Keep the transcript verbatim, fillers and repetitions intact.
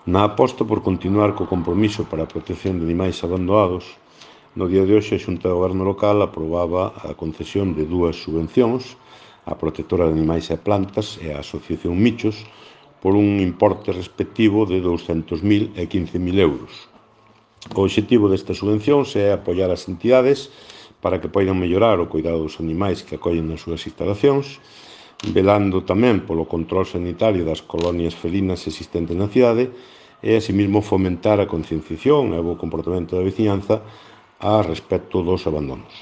Na aposta por continuar co compromiso para a protección de animais abandonados, no día de hoxe a Xunta de Goberno local aprobaba a concesión de dúas subvencións á Protectora de Animais e Plantas e á Asociación Michos por un importe respectivo de douscentos mil e quince mil euros. O obxectivo destas subvencións é apoiar as entidades para que poidan mellorar o cuidado dos animais que acollen nas súas instalacións, velando tamén polo control sanitario das colonias felinas existentes na cidade e, asimismo, fomentar a concienciación e o bo comportamento da veciñanza a respecto dos abandonos.